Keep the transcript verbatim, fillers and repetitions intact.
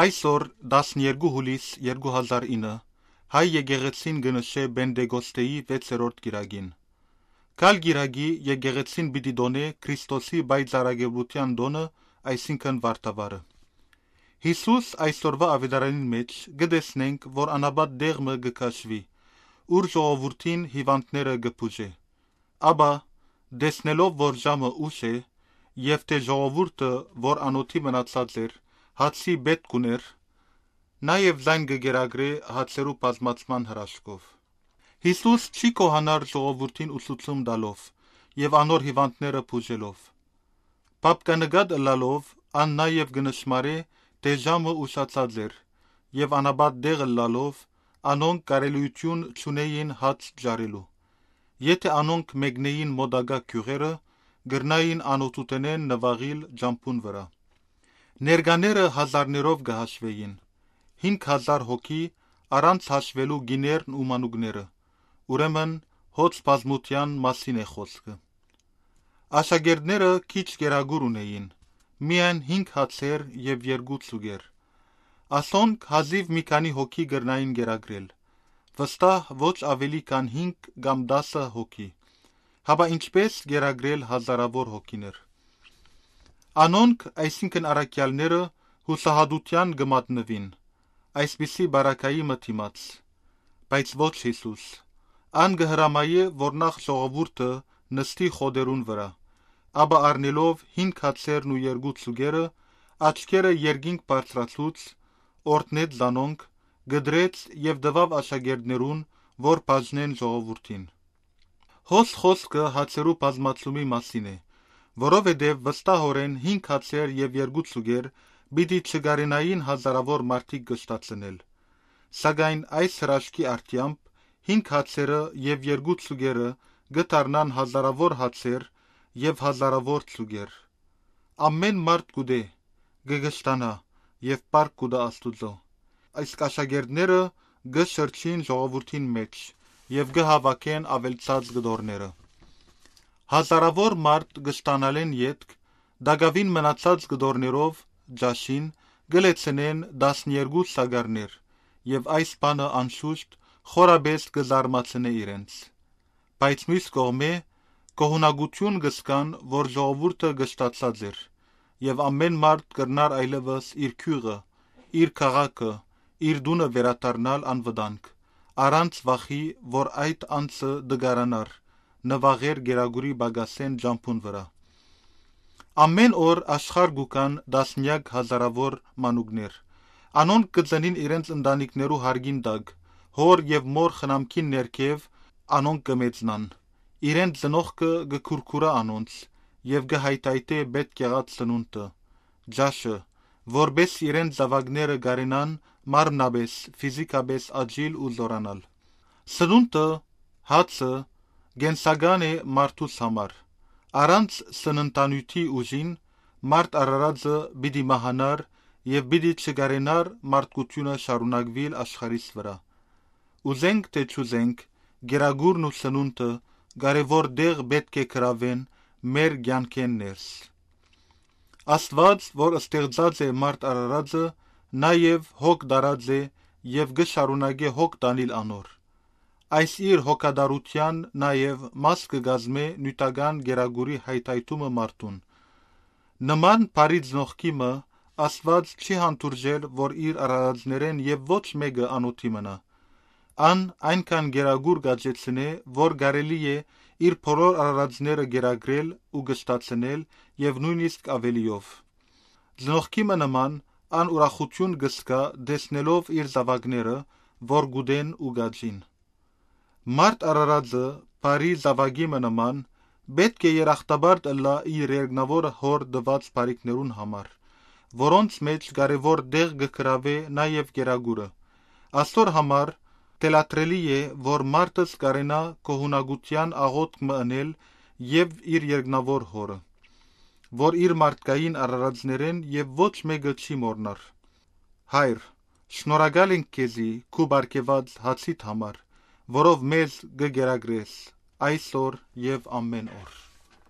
Այսօր տասներկու հուլիս երկու հազար ինը հայ եկեղեցին գնշե Բենդեգոստեի վեցերորդ գիրագին։ Կալ գիրագի եկեղեցին պիտի դոնե Քրիստոսի բայծարագեբության դոնը, այսինքն վարդավարը։ Հիսուս այսօրվա ավետարանին մեջ գտեսնենք, որ անաբատ դեղմը գքաշվի, ուր ժողովրդին հիվանդները գփուժե։ Աբա դեսնելով, որ ժամը ուշ է, եւ թե ժողովուրդը, որ անոթի մնացած էր, հացի պետք ուներ, նաև զայն գգերագրե հացերու բազմացման հրաշքով։ Հիսուս չի կոհանար ժողովրդին ուսուցում տալով եւ անոր հիվանդները բուժելով։ Պապկանգად ըլլալով ան նաև գնշմարե, թե ժամը ուշացած էր եւ անաբատ դեղ ըլլալով անոնք կարելույություն չունեին հաց ջարելու։ Եթե անոնք մեկնեին մոդագա քյուղերը, գրնային անոթութենեն նվաղիլ ջամփուն վրա։ Ներկաները հազարներով գհաշվեին, հինգ հազար հոգի առանց հաշվելու գիներն ու մանուկները, ուրեմն հոծ բազմության մասին է խոսքը։ Աշակերտները քիչ գերագուր ունեին, միայն հինգ հացեր եւ երկու ծուգեր։ Ասոնք հազիվ մի քանի հոգի գրնային գերագրել, վստահ ոչ ավելի քան հինգ կամ դասը հոգի, հապա ինչպես գերագրել հազարավոր հոգիներ։ Անոնք, այսինքն առաքյալները, հուսահատության գմատնվին, այսպիսի բարակայի մտիմաց, բայց ոչ Հիսուս։ Ան գհրամայե, որ նախ ժողովուրդը նստի խոդերուն վրա, աբա առնելով հինգ հացերն ու երկու ծուգերը, աչքերը երկինք բարձրացուց, օրտնեց զանոնք, գդրեց եւ դվավ աշակերտներուն, որ բաժնեն ժողովուրդին։ Հոս խոսքը հացերու բազմացումի մասին է, որովհետև վստահորեն հինգ հացեր եւ երկու ծուգեր պիտի չգարենային հազարավոր մարդիկ գշտացնել։ Սակայն այս հրաշքի արդյամբ հինգ հացերը եւ երկու ծուգերը գտարնան հազարավոր հացեր եւ հազարավոր ծուգեր։ Ամեն մարդ գուդե, գգշտանա եւ պարկ գուդա Աստուծո։ Այս աշակերտները գշրջին ժողովրդին մեջ եւ գհավաքեն ավելցած գդորները։ Հազարավոր մարդ գշտանալեն ետք, դագավին մնացած գդորներով ջաշին գլեցնեն տասներկու սագարներ եւ այս բանը անշուշտ խորաբես գզարմացնե իրենց։ Բայց մյուս կողմէ կողունակություն գսկան, որ ժողովուրդը գշտացած էր եւ ամեն մարդ կրնար այլևս իր քյուղը, իր քաղաքը, իր դունը վերադառնալ անվտանգ, առանց վախի, որ այդ անձը դգարանար, նվաղեր գերագուրի բագասեն ջամփուն վրա։ Ամեն օր աշխարհ գուկան դասնյակ հազարավոր մանուկներ։ Անոնք կծնին իրենց ընտանիքներու հարգին տակ, հոր եւ մոր խնամքին ներքև անոնք կմեծնան։ Իրենց ծնողքը գքուրքուրա անոնց եւ գհայթայթե պետք եղած սնունդը, ջաշը, որբես իրենց զավակները գարենան մարմնաբես, ֆիզիկաբես աճիլ ու զորանալ։ Սնունդը, հացը գենսական է մարդուս համար։ Առանց սննդանյութի ուժին մարդ արարածը պիտի մահանար եւ պիտի չգարենար մարդկությունը շարունակվիլ աշխարհիս վրա։ Ուզենք թե չուզենք, գերագուրն ու սնունդը կարևոր դեղ պետք է գրավեն մեր կյանքեն ներս։ Աստված, որ ստեղծած է մարդ արարածը, նաեւ հոգ դարած է եւ գշարունակե հոգ տանիլ անոր։ Այս իր հոգադարության նաև մաս կգազմե նյութական գերագուրի հայթայթումը մարդուն։ Նման բարի ծնողքիմը Աստված չի հանդուրժել, որ իր արարածներեն եւ ոչ մեկը անոթի մնա։ Ան այնքան գերագուր գաճեցնե, որ կարելի է իր բոլոր արարածները գերագրել ու գշտացնել եւ նույնիսկ ավելիով։ Ծնողքիմը նման ան ուրախություն գսկա դեսնելով իր զավակները, որ գուդեն ու գաջին։ Մարդ արարածը բարի զավակի նման պետք է երախտաբար ըլլա իր երկնավոր հոր դված բարիքներուն համար, որոնց մեջ կարևոր դեղ գկրավե նաև գերագուրը։ Աստոր համար թելատրելի է, որ մարդս կարենա կողունակության աղոթք մընել եւ իր երկնավոր հորը, որ իր մարդկային արարածներեն եւ ոչ մեկը չի մորնար։ Հայր, շնորհակալ ենք քեզի քու բարգեված հացիդ համար, որով մեզ գգերագրես այսօր եւ ամեն օր։